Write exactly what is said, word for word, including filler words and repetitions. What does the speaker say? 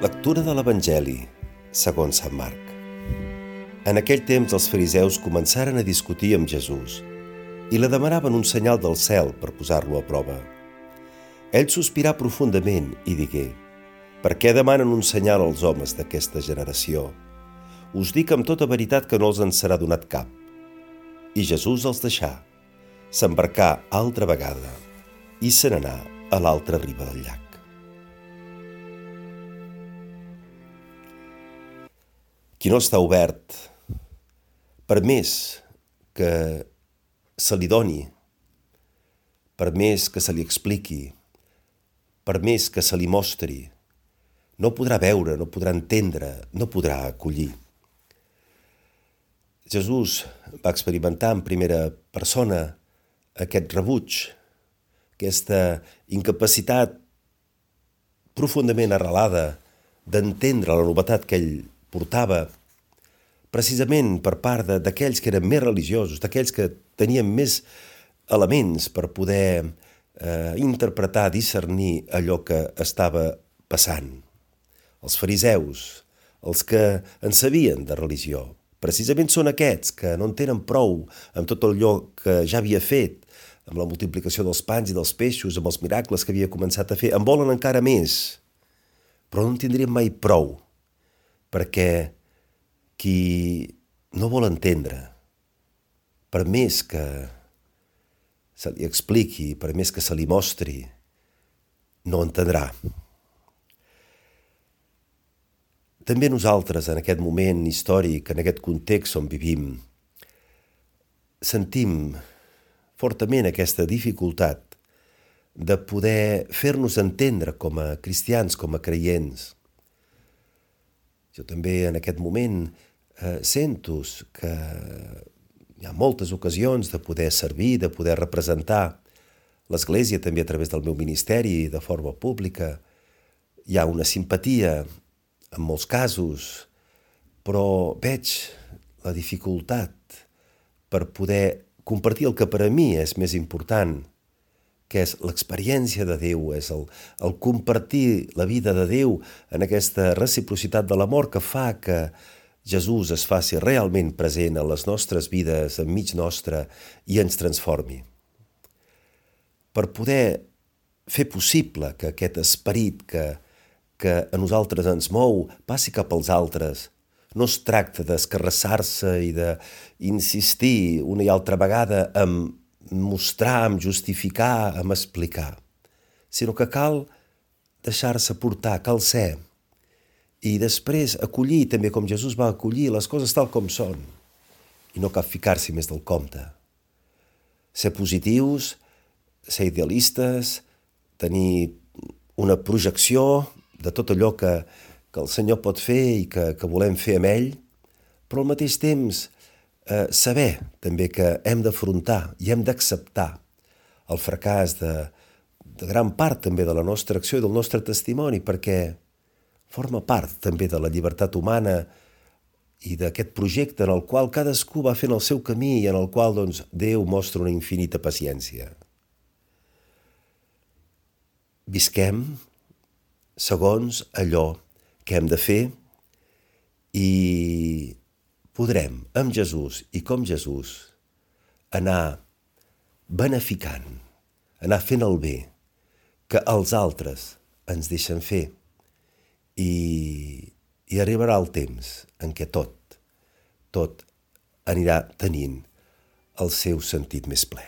Lectura de l'Evangeli, segons Sant Marc. En aquell temps els fariseus començaren a discutir amb Jesús i li demanaven un senyal del cel per posar-lo a prova. Ell sospirà profundament i digué: «Per què demanen un senyal als homes d'aquesta generació? Us dic amb tota veritat que no els en serà donat cap». I Jesús els deixà, s'embarcà altra vegada i se n'anà a l'altra riba del llac. Qui no està obert, per més que se li doni, per més que se li expliqui, per més que se li mostri, no podrà veure, no podrà entendre, no podrà acollir. Jesús va experimentar en primera persona aquest rebuig, aquesta incapacitat profundament arrelada d'entendre la novetat que ell portava, precisament per part d'aquells que eren més religiosos, d'aquells que tenien més elements per poder eh, interpretar, discernir allò que estava passant. Els fariseus, els que en sabien de religió, precisament són aquests que no en tenen prou amb tot allò que ja havia fet, amb la multiplicació dels pans i dels peixos, amb els miracles que havia començat a fer. En volen encara més, però no en tindrien mai prou, perquè qui no vol entendre, per més que se li expliqui, per més que se li mostri, no entendrà. També nosaltres, en aquest moment històric, en aquest context on vivim, sentim fortament aquesta dificultat de poder fer-nos entendre com a cristians, com a creients. Jo també en aquest moment eh, sento que hi ha moltes ocasions de poder servir, de poder representar l'Església també a través del meu ministeri de forma pública. Hi ha una simpatia en molts casos, però veig la dificultat per poder compartir el que per a mi és més important, que és l'experiència de Déu, és el, el compartir la vida de Déu en aquesta reciprocitat de l'amor que fa que Jesús es faci realment present a les nostres vides, enmig nostre, i ens transformi. Per poder fer possible que aquest esperit que, que a nosaltres ens mou passi cap als altres, no es tracta d'escarrassar-se i d'insistir una i altra vegada en mostrar, en justificar, en explicar, sinó que cal deixar-se portar, cal ser, i després acollir també com Jesús va acollir les coses tal com són, i no cal ficar-s'hi més del compte. Ser positius, ser idealistes, tenir una projecció de tot allò que, que el Senyor pot fer i que, que volem fer amb ell, però al mateix temps Eh, saber també que hem d'afrontar i hem d'acceptar el fracàs de, de gran part també de la nostra acció i del nostre testimoni, perquè forma part també de la llibertat humana i d'aquest projecte en el qual cadascú va fent el seu camí i en el qual doncs, Déu mostra una infinita paciència. Visquem segons allò que hem de fer i podrem, amb Jesús i com Jesús, anar beneficant, anar fent el bé que els altres ens deixen fer i, i arribarà el temps en què tot, tot anirà tenint el seu sentit més ple.